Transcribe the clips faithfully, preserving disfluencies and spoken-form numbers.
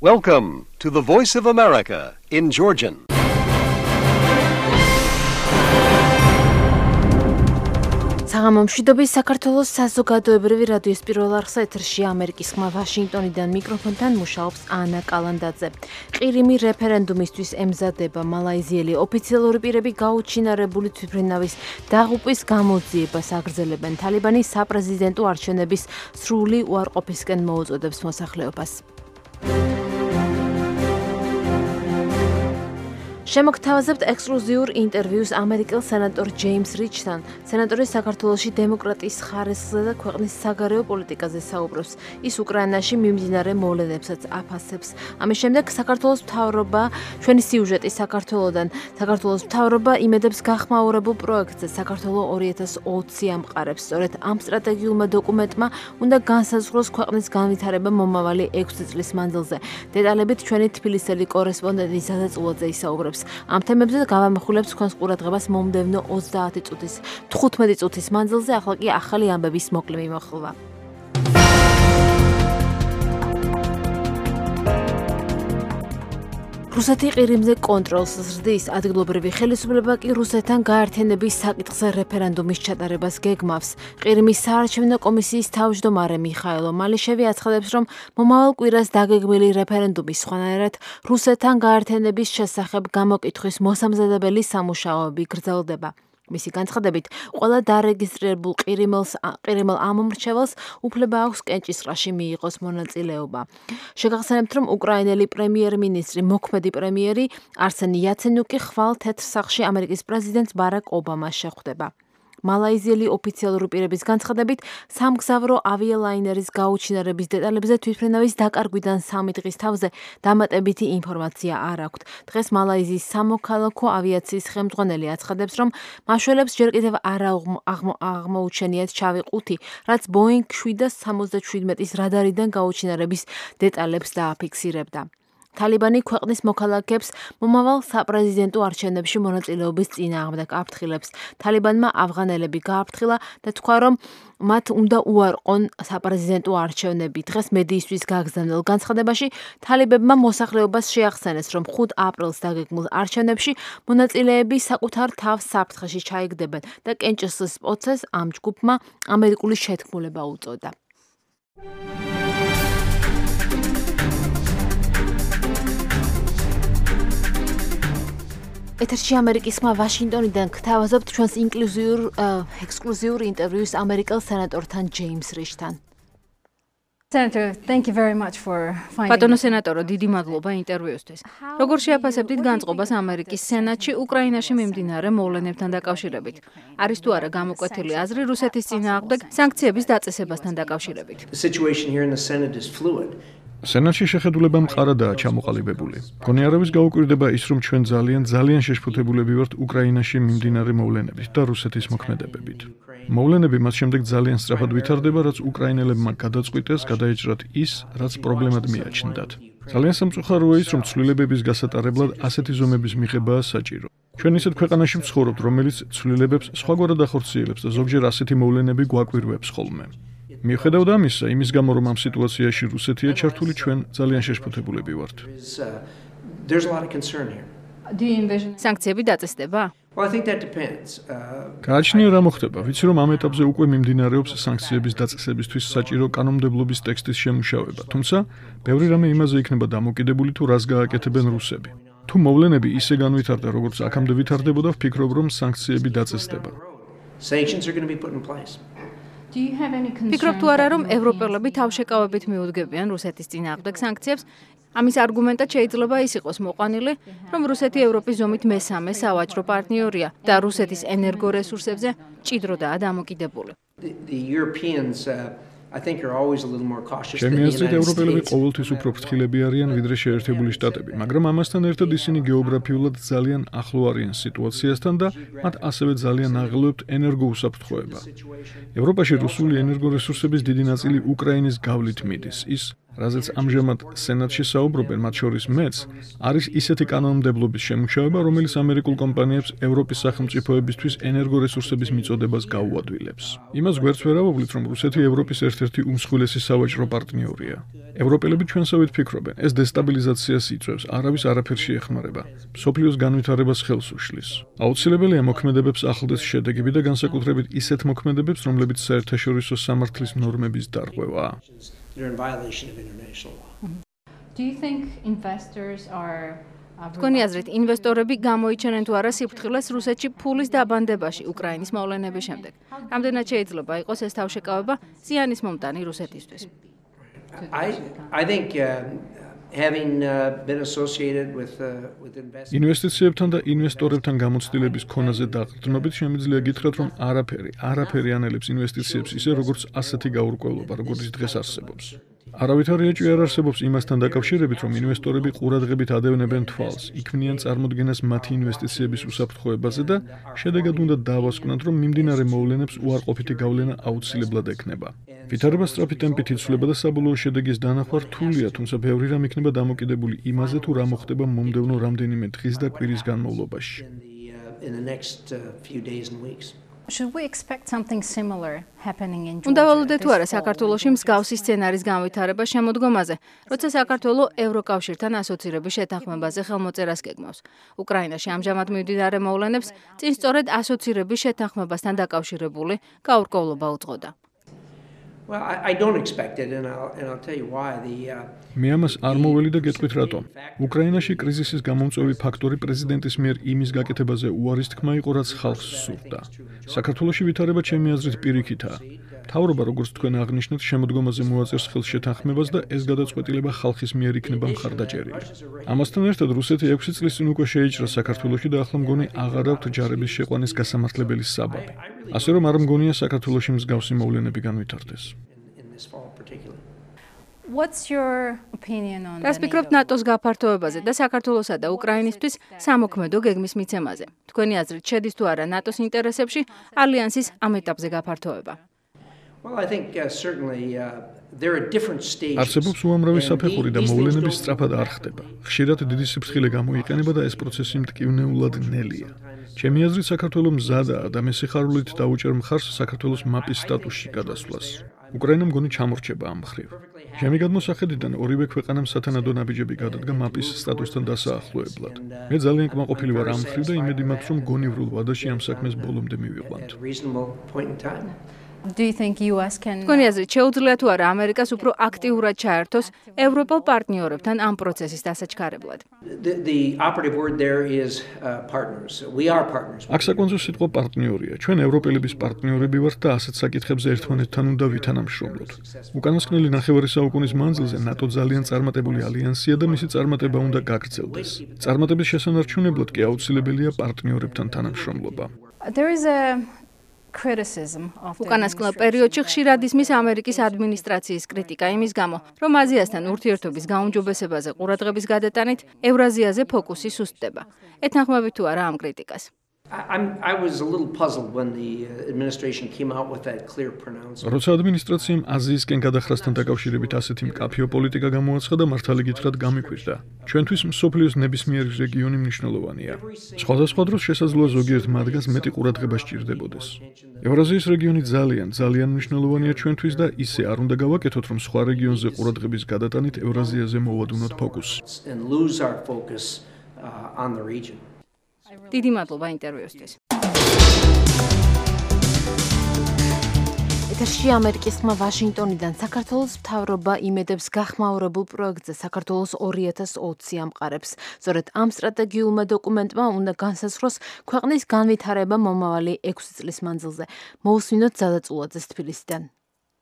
Welcome to the Voice of America in Georgian. საღამომშვიდობის საქართველოს საზოგადოებრივი რადიოს პირველ არხზე ეთერში ამერიკის ხმა ვაშინგტონიდან მიკროფონთან მუშაობს ანა კალანდაძე. ყირიმი რეფერენდუმისთვის ემზადება. მალაიზიელი ოფიციალური პირები გაუჩინარებული თვითმფრინავის დაღუპვის გამოძიებას აგრძელებენ. თალიბანი საპრეზიდენტო არჩევნების სრული უარყოფისკენ მოუწოდებს მოსახლეობას. შემოგთავაზებთ ექსკლუზიურ ინტერვიუს ამერიკელ სენატორ ჯეიმს რიჩთან. სენატორი საქართველოში დემოკრატიის ხარისხზე და ქვეყნის საგარეო პოლიტიკაზე საუბრობს. ის უკრაინაში მიმდინარე მოვლენებსაც აფასებს. ამის შემდეგ საქართველოს მთავრობა, ჩვენი სიუჟეტი საქართველოდან, საქართველოს მთავრობა იმედებს გახმაურებულ პროექტზე საქართველო ორი ათას ოცი ამყარებს. სწორედ ამ სტრატეგიულმა დოკუმენტმა უნდა განსაზღვროს ქვეყნის განვითარება მომავალი ექვსი წლის მანძილზე. დეტალებით ჩვენი თბილისელი კორესპონდენტი ზადა წულაძე ისაუბრებს. ამ თემებზე გავამახვილებთ თქვენს ყურადღებას მომდევნო ოცდაათი წუთის, თხუთმეტი წუთის მანძილზე, ახლა კი ახალი ამბების მოკლე მიმოხილვა. რუსეთი ყირიმზე კონტროლს ზრდის, ადგილობრივი ხელისუფლება კი რუსეთთან გაერთიანების საკითხზე რეფერენდუმის ჩატარებას გეგმავს. ყირიმის საარჩევნო კომისიის თავმჯდომარე მიხაილო მალიშევი აცხადებს, რომ მომავალ კვირას დაგეგმილი რეფერენდუმის სხვანაირად რუსეთთან გაერთიანების შესახებ გამოკითხვის მოსამზადებელი სამუშაოები გრძელდება. მისი განცხადებით, ყველა დარეგისტრირებულ ყირიმელს ყირიმელ ამომრჩეველს უფლება აქვს კენჭისყრაში მიიღოს მონაწილეობა. შეგახსენებთ, რომ უკრაინელი პრემიერ-მინისტრი, მოქმედი პრემიერი არსენ იაცენიუკი ხვალ თეთრ სახლში ამერიკის პრეზიდენტ ბარაკ ობამას შეხვდება. მალაიზიელი ოფიციალური პირების განცხადებით, სამგზავრო ავიალაინერის გაუჩინარების დეტალებზე თვითმფრინავის დაკარგვიდან სამი დღის თავზე დამატებითი ინფორმაცია არ აქვთ. დღეს მალაიზიის სამოქალაქო ავიაციის ხელმძღვანელი აცხადებს, რომ მაშველებს ჯერ კიდევ არ აღმოუჩენიათ შავი ყუთი, რაც ბოინგ შვიდას სამოცდაშვიდმეტის რადარიდან გაუჩინარების დეტალებს დააფიქსირებდა. თალიბანი ქვეყნის მოქალაქეებს მომავალ საპრეზიდენტო არჩევნებში მონაწილეობის წინააღმდეგ აფრთხილებს. თალიბანმა ავღანელები გააფრთხილა და თქვა, რომ მათ უნდა უარყონ საპრეზიდენტო არჩევნები. დღეს მედიისთვის გაგზავნილ განცხადებაში თალიბებმა მოსახლეობას შეახსენეს, რომ ხუთ აპრილს დაგეგმილ არჩევნებში მონაწილეები საკუთარ თავს საფრთხეში ჩაიგდებენ და კენჭისყრის პროცესს ამ ჯგუფმა ამერიკული შეთქმულება უწოდა. ეთერში ამერიკის ხმა ვაშინგტონიდან გთავაზობთ ჩვენს ინკლუზიურ ექსკლუზიურ ინტერვიუს ამერიკელ სენატორთან ჯეიმს რიჩთან. Senator, thank you very much for finding. ბატონო სენატორო, დიდი მადლობა ინტერვიუსთვის. როგორ შეაფასებდით განწყობას ამერიკის სენატში უკრაინაში მიმდინარე მოვლენებთან დაკავშირებით? არის თუ არა გამოკვეთილი აზრი რუსეთის წინააღმდეგ სანქციების დაწესებასთან დაკავშირებით? The situation here in the Senate is fluid. სენატში შეხედულება მყარადაა ჩამოყალიბებული. გონიარების გაუკვირდება ის, რომ ჩვენ ძალიან ძალიან შეშფოთებულები ვართ უკრაინაში მიმდინარე მოვლენებით და რუსეთის მოქმედებებით. მოვლენები მას შემდეგ ძალიან სწრაფად ვითარდება, რაც უკრაინელებმა გადაწყვიტეს გადაეჭრათ ის, რაც პრობლემად მიაჩნდათ. ძალიან სამწუხაროა ის, რომ ცვლილებების გასატარებლად ასეთი ზომების მიღებაა საჭირო. ჩვენ ისეთ ქვეყანაში ვცხოვრობთ, რომელიც ცვლილებებს სხვაგვარად ახორციელებს და ზოგჯერ ასეთი მოვლენები გვაკვირვებს ხოლმე. მიუხედავად ამისა, იმის გამო რომ ამ სიტუაციაში რუსეთია ჩართული, ჩვენ ძალიან შეშფოთებულები ვართ. There's a lot of concern here. Do you envision სანქციები დაწესდება? Well, I think that depends. გააჩნია რა მოხდება. ვიცი რომ ამ ეტაპზე უკვე მიმდინარეობს სანქციების დაწესებისთვის საჭირო კანონმდებლობის ტექსტის შემუშავება, თუმცა ბევრი რამე იმაზე იქნება დამოკიდებული თუ რას გააკეთებენ რუსები. თუ მოვლენები ისე განვითარდა, როგორც აქამდე ვითარდებოდა, ვფიქრობ, რომ სანქციები დაწესდება. Sanctions are going to be put in place. ფიქრობ თუ არა, რომ ევროპელები თავშეკავებით მიუძგებიან რუსეთის წინააღმდეგ სანქციებს? ამის არგუმენტად შეიძლება ის იყოს მოყვანილი, რომ რუსეთი ევროპის ზომით მესამე სავაჭრო პარტნიორია და რუსეთის ენერგორესურსებზე ჭიდროდაა დამოკიდებული. The Europeans uh, I think are always a little more cautious than the ჩემი აზრით United ევროპელები States. ყოველთვის უფრო ფრთხილები არიან ვიდრე შეერთებული შტატები, მაგრამ ამასთან ერთად ისინი გეოგრაფიულად ძალიან ახლო არიან სიტუაციასთან და მათ ასევე ძალიან აღელვებთ ენერგოუსაფრთხოება. ევროპაში რუსული ენერგორესურსების დიდი ნაწილი უკრაინის გავლით მიდის. ის რაზეც ამჟამად სენატში საუბრობენ, მათ შორის მეც, არის ისეთი კანონმდებლობის შემუშავება, რომელიც ამერიკულ კომპანიებს ევროპის სახელმწიფოებისთვის ენერგორესურსების მიწოდებას გაუადვილებს. იმას გვერდს ვერ ავავლით, რომ რუსეთი ევროპის ერთ-ერთი უმსხვილესი სავაჭრო პარტნიორია. ევროპელები ჩვენსავით ფიქრობენ, ეს დესტაბილიზაციას იწვევს, არავის არაფერში ეხმარება, მსოფლიოს განვითარებას ხელს უშლის. აუცილებელია მოქმედებებს ახლდეს შედეგები და განსაკუთრებით ისეთ მოქმედებებს, რომლებიც საერთაშორისო სამართლის ნორმების დარღვევაა. Do you think investors are თქვენი აზრით, ინვესტორები გამოიჩენენ თუ არა სიფრთხილეს რუსეთში ფულის დაბანდებაში უკრაინის მოვლენების შემდეგ? რამდენად შეიძლება იყოს ეს თავშეკავება ზიანის მომტანი რუსეთისთვის? I I think uh, having uh, been associated with uh, with investors ინვესტიციებთან და ინვესტორებთან გამოცდილების ქონაზე დაყრდნობით შემიძლია გითხრათ, რომ არაფერი, არაფერი ანელებს ინვესტიციებს ისე როგორც ასეთი გაურკვევლობა, როგორც დღეს არსებობს. არავითარი ეჭვი არ არსებობს იმასთან დაკავშირებით, რომ ინვესტორები ყურადღებით ადევნებენ თვალს, იქმნიან წარმოდგენას მათი ინვესტიციების უსაფრთხოებაზე და შედეგად უნდა დავასკვნათ, რომ მიმდინარე მოვლენებს უარყოფითი გავლენა აუცილებლად ექნება. ვითარება სწრაფი ტემპით იცვლება და საბოლოო შედეგის დანახვა რთულია, თუმცა ბევრი რამ იქნება დამოკიდებული იმაზე, თუ რა მოხდება მომდევნო რამდენიმე დღის და კვირის განმავლობაში. in the next uh, few days and weeks. Should we expect something similar happening in Georgia? უნდა ვალოდეთ თუ არა საქართველოში მსგავსი სცენარის განვითარება შემოდგომაზე, როცა საქართველო ევროკავშირთან ასოცირების შეთანხმებაზე ხელმოწერას გეგმავს. უკრაინაში ამჟამად მიმდინარე მოვლენებს წინ სწორედ ასოცირების შეთანხმებასთან დაკავშირებული გაურკვევლობა უძღოდა. Well, I, I don't expect it, and I'll, and I'll tell you why. The, uh, მე ამას არ მოველი და გეტყვით რატომ. უკრაინაში კრიზისის გამომწვევი ფაქტორი პრეზიდენტის მიერ იმის გაკეთებაზე უარის თქმა იყო, რაც ხალხს სურდა. საქართველოში ვითარება ჩემი აზრით პირიქითაა. მთავრობა, როგორც თქვენ აღნიშნეთ, შემოდგომაზე მოაწერს ხელს შეთანხმებას და ეს გადაწყვეტილება ხალხის მიერ იქნება მხარდაჭერილი. ამასთან ერთად რუსეთი ექვსი წლის წინ უკვე შეიჭრა საქართველოში და ახლა მგონი აღარ აქვთ ჯარების შეყვანის გასამართლებელი საბაბი. ასე რომ არ მგონია საქართველოში მსგავსი მოვლენები განვითარდეს. in this fall particularly. What's your opinion on რას ფიქრობთ ნატოს გაფართოებაზე და საქართველოსა და უკრაინისთვის სამოქმედო გეგმის მიცემაზე? თქვენი აზრით, შედის თუ არა ნატოს ინტერესებში ალიანსის ამ ეტაპზე გაფართოება? Well, I think uh, certainly uh, there are different stages. არსებობს უამრავი საფეხური და მოვლენები სწრაფად არ ხდება. ხშირად დიდი სიფრთხილე გამოიყენება და ეს პროცესი მტკივნეულად ნელია. ჩემი აზრით, საქართველო მზადაა და მე სიხარულით დაუჭერ მხარს საქართველოს მაპის სტატუსში გადასვლას. უკრაინა მგონი ჩამორჩება ამ მხრივ. ჩემი გადმოსახედიდან ორივე ქვეყანამ სათანადო ნაბიჯები გადადგა მაპის სტატუსთან დასაახლოებლად. მე ძალიან კმაყოფილი ვარ ამ მხრივ და იმედი მაქვს, რომ გონივრულ ვადაში ამ საქმეს ბოლომდე მივიყვანთ. At a reasonable point in time. Do you think U S can თქვენი აზრით, შეუძლია თუ არა ამერიკას უფრო აქტიურად ჩაერთოს ევროპელ პარტნიორებთან ამ პროცესის დასაჩქარებლად? The, the operative word there is uh, partners. We are partners. აქ საკონცო სიტყვა პარტნიორია. ჩვენ ევროპელების პარტნიორები ვართ და ასეთ საკითხებზე ერთმანეთთან უნდა ვითანამშრომლოთ. უკანასკნელი ნახევარი საუკუნის მანძილზე ნატო ძალიან წარმატებული ალიანსია და მისი წარმატება უნდა გაგრძელდეს. წარმატების შესანარჩუნებლად კი აუცილებელია პარტნიორებთან თანამშრომლობა. There is a criticism of the უკანასკნელ პერიოდში ხშირად ისმის ამერიკის ადმინისტრაციის კრიტიკა იმის გამო, რომ აზიასთან ურთიერთობის გაუმჯობესებაზე ყურადღების გადატანით ევრაზიაზე ფოკუსი სუსტდება. ეთანხმებით თუ არა ამ კრიტიკას? I, I'm, I was a little puzzled when the uh, administration came out with that clear pronouncement. როცა ადმინისტრაციამ აზიისკენ გადახრასთან დაკავშირებით ასეთი მკაფიო პოლიტიკა გამოაცხადა, მართალი გითხრათ გამიკვირდა. ჩვენთვის მსოფლიოს ნებისმიერი რეგიონი მნიშვნელოვანია. სხვადასხვა დროს შესაძლოა ზოგიერთ მათგანს მეტი ყურადღება სჭირდებოდეს. ევრაზიის რეგიონი ძალიან, ძალიან მნიშვნელოვანია ჩვენთვის და ისე არ უნდა გავაკეთოთ, რომ სხვა რეგიონზე ყურადღების გადატანით ევრაზიაზე მოვადუნოთ ფოკუსს. And lose our focus uh, on the region. დიდი მადლობა ინტერვიუსთვის. ეთერში ამერიკის ხმა ვაშინგტონიდან საქართველოს მთავრობა იმედებს გახმაურებულ პროექტზე საქართველოს ორი ათას ოცი ამყარებს. სწორედ ამ სტრატეგიულმა დოკუმენტმა უნდა განსაზღვროს ქვეყნის განვითარება მომავალი ექვსი წლის მანძილზე. მოусმინოთ ზადაწულაძეს თბილისიდან.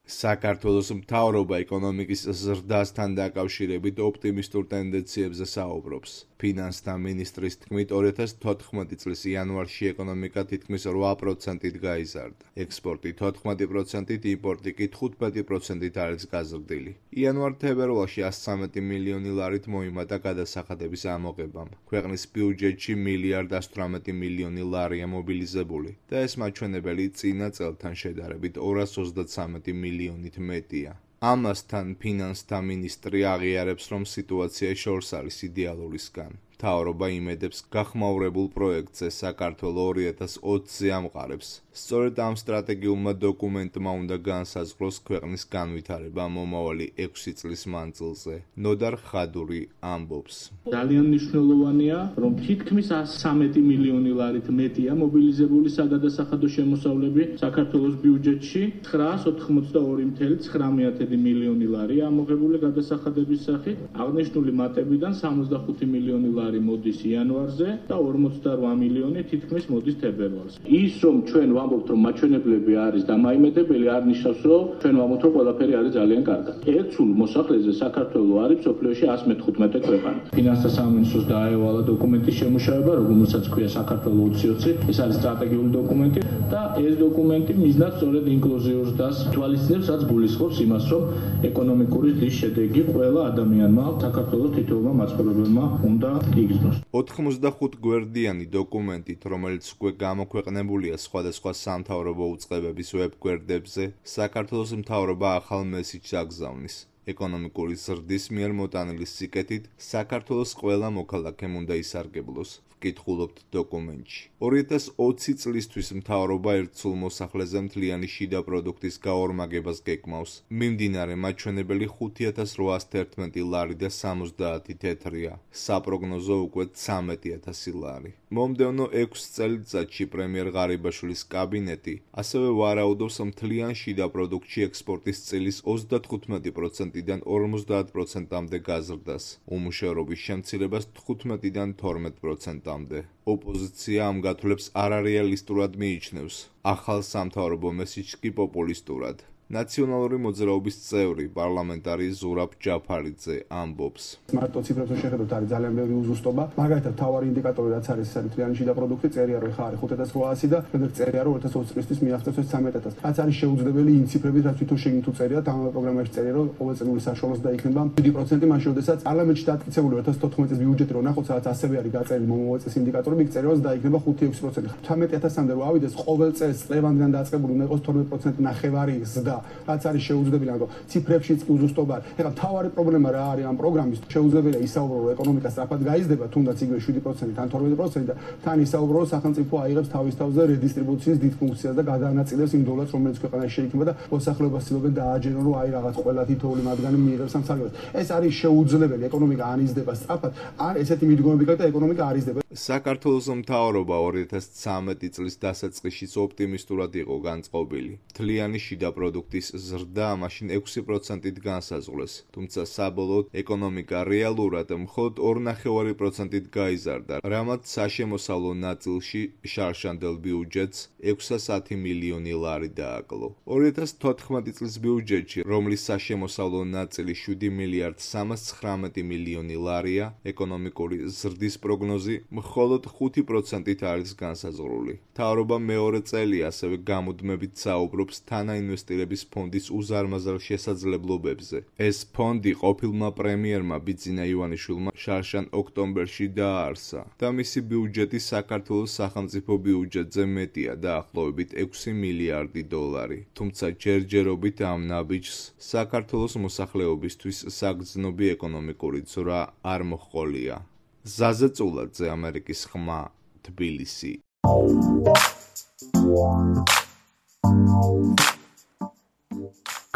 საქართველოს მთავრობა ეკონომიკის ზრდასთან დაკავშირებით ოპტიმისტურ ტენდენციებზე საუბრობს. ფინანსთა მინისტრის თქმით, ორი ათას თოთხმეტი წლის იანვარში ეკონომიკა თითქმის რვა პროცენტით გაიზარდა. ექსპორტი თოთხმეტი პროცენტით, იმპორტი კი თხუთმეტი პროცენტით არის გაზრდილი. იანვარ-თებერვალში ასი ცხრამეტი მილიონი ლარით მოიმატა გადასახადების ამოღებამ. ქვეყნის ბიუჯეტში მილიარდ ასი თვრამეტი მილიონი ლარია მობილიზებული და ეს მაჩვენებელი წინა წელთან შედარებით ორას ოცდათსამეტი მილიონით მეტია. ამასთან ფინანსთა მინისტრი აღიარებს, რომ სიტუაცია შორს არის იდეალურისგან. მთავრობა იმედებს გახმაურებულ პროექტზე საქართველოს ორი ათას ოცზე ამყარებს. სწორედ ამ სტრატეგიულმა დოკუმენტმა უნდა განსაზღვროს ქვეყნის განვითარება მომავალი ექვსი წლის მანძილზე. ნოდარ ხადური ამბობს. ძალიან მნიშვნელოვანია, რომ თითქმის სამეტი მილიონი ლარით მეტია მობილიზებული საგადასახადო შემოსავლები საქართველოს ბიუჯეტში. ცხრაას ოთხმოცდაორი წუთი ცხრამეტი მილიონი ლარია ამოღებული გადასახადების სახით. აღნიშნული მატებიდან სამოცდახუთი მილიონი ლარი მოდის იანვარზე და ორმოცდარვა მილიონი თითქმის მოდის თებერვალზე. ის რომ ჩვენ ვამბობთ, რომ მაჩვენებლები არის დამაიმედებელი, არ ნიშნავს, რომ ჩვენ ვამბობთ, რომ ყველაფერი არის ძალიან კარგად. ერთსულ მოსახლეზე საქართველოს არის მსოფლიოში εκατს მეთხუთმეტე ქვეყანა. ფინანსთა სამინისტროს დააევალა დოკუმენტის შემუშავება, რომელსაც ქვია საქართველოს ოცი ოცი. ეს არის სტრატეგიული დოკუმენტი და ეს დოკუმენტი მიზნად სწორედ ინკლუზიურს და თვალისწინებს, რაც გულისხმობს იმას, რომ ეკონომიკური ზრდის შედეგი ყველა ადამიანმა, საქართველოს თითოეულმა მაცხოვრებელმა უნდა იგრძნოს. ოთხმოცდახუთ გვერდიანი დოკუმენტით, რომელიც უკვე გამოქვეყნებულია სხვადასხვა სამთავრობო უწყებების ვებ-გვერდებზე, საქართველოს მთავრობა ახალ მესიჯს აგზავნის. ეკონომიკური ზრდის მიერ მოტანილი სიკეთით საქართველოს ყველა მოქალაქემ უნდა ისარგებლოს. ვკითხულობთ დოკუმენტში. ორი ათას ოცი წლისთვის მთავრობა ერთსულ მოსახლეზე მთლიანი შიდა პროდუქტის გაორმაგებას გეკმავს. მიმდინარე მაჩვენებელი ხუთი ათას რვაას თერთმეტი ლარი და სამოცდაათი თეთრია. საპროგნოზო უკვე ცამეტი ათასი ლარი. მომდევნო ექვს წელიწადში პრემიერ ღარიბაშვილის კაბინეტი ასევე ვარაუდობს მთლიან შიდა პროდუქტში ექსპორტის წილის ოცდათხუთმეტი პროცენტიდან ორმოცდაათ პროცენტამდე გაზრდას, უმუშევრობის შემცირებას თხუთმეტიდან თორმეტ პროცენტამდე. ოპოზიცია ამ გათვლებს არარეალისტურად მიიჩნევს. ახალ სამთავრობო მესიჯს კი პოპულისტურად. ნაციონალური მოძრაობის წევრი პარლამენტარი ზურაბ ჯაფარიძე ამბობს. მარტო ციფრებზე შეხედოთ არის ძალიან ბევრი უზუსტობა. მაგალითად, თავარი ინდიკატორი რაც არის, ეს არის მთლიანი შიდა პროდუქტი, წერია რომ ხა არის ხუთ ათას რვაასი და შემდეგ წერია რომ ორი ათას ოცი წლისთვის მიაღწევს ეს ცამეტ ათასს. რაც არის შეუძლებელი იმ ციფრებით, რაც თვითონ შეგინთ უწერია, ამ პროგრამაში წერია რომ ყოველწლიური საშუალოს დაიქნება შვიდი პროცენტი მაშინ, როდესაც პარლამენტში დაკეთებული ორი ათას თოთხმეტი წლის ბიუჯეტი რო ნახოთ, სადაც ასევე არის გაწერილი მომავალ წლის ინდიკატორი, იქ წერია რომ დაიქნება ხუთი ექვსი პროცენტი. ცამეტ ათასამდე რო ავიდეს, ყოველ წელს წლევანდან დაწყებული უნდა იყოს თორმეტ პროცენტი ნახევარი ზრდა, რაც არის შეუძლებელი, ანუ ციფრებშიც კი უზუსტობა არის. ეხლა მთავარი პრობლემა რა არის ამ პროგრამის? შეუძლებელია ისაუბრო, რომ ეკონომიკა სწრაფად გაიზრდება, თუნდაც იგივე შვიდი პროცენტი, თან თორმეტი პროცენტი და თან ისაუბრო, რომ სახელმწიფო აიღებს თავის თავზე რედისტრიბუციის დიდ ფუნქციას და გადაანაწილებს იმ დოლარს, რომელიც ქვეყანაში შეიქმნება და მოსახლეობას ცდილობენ დააჯერონ, რომ აი რაღაც ყველა თითოეული მათგანი მიიღებს ამ სარგებლობას. ეს არის შეუძლებელი, ეკონომიკა ან იზრდება სწრაფად, ან ესეთი მიდგომები გაქვს და ეკონომიკა არ იზრდება. საქართველოს მთავრობა ორი ათას ცამეტი წლის დასაწყისშიც ოპტიმისტურად იყო განწყობილი. მთლიანი შიდა პროდუქტის ზრდა მაშინ ექვსი პროცენტით განსაზღვრეს, თუმცა საბოლოოდ ეკონომიკა რეალურად მხოლოდ ორი ნახევარი პროცენტით გაიზარდა, რამაც საშემოსავლო ნაწილში შარშანდელ ბიუჯეტს ექვსას ათი მილიონი ლარი დააკლო. ორი ათას თოთხმეტი წლის ბიუჯეტში, რომლის საშემოსავლო ნაწილი შვიდი მილიარდ სამას ცხრამეტი მილიონი ლარია, ეკონომიკური ზრდის პროგნოზი მხოლოდ ხუთი პროცენტით არის განსაზღვრული. მთავრობა მეორე წელი ასევე გამუდმებით საუბრობს თანაინვესტირების ფონდის უზარმაზარ შესაძლებლობებზე. ეს ფონდი ყოფილმა პრემიერმა ბიძინა ივანიშვილმა შარშან ოქტომბერში დააარსა და მისი ბიუჯეტი საქართველოს სახელმწიფო ბიუჯეტზე მეტია დაახლოებით ექვსი მილიარდი დოლარი. თუმცა ჯერჯერობით ამ ნაბიჯს საქართველოს მოსახლეობისთვის საგრძნობი ეკონომიკური ძვრა არ მოჰყოლია. ზაზე წულაძე, ამერიკის ხმა, თბილისი.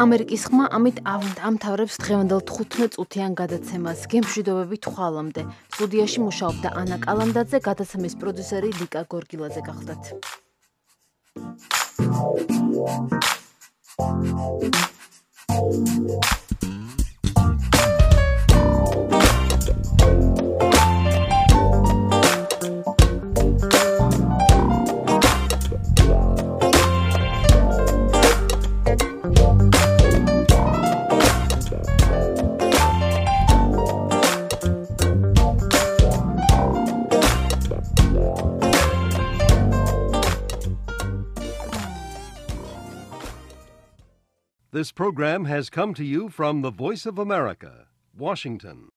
ამერიკის ხმა ამით ამთავრებს დღევანდელ თხუთმეტ წუთიან გადაცემას. გემშვიდობებით ხვალამდე. სტუდიაში მუშაობდა ანა კალანდაძე, გადაცემის პროდიუსერი ლიკა გორგილაძე გახლდათ. This program has come to you from the Voice of America, Washington.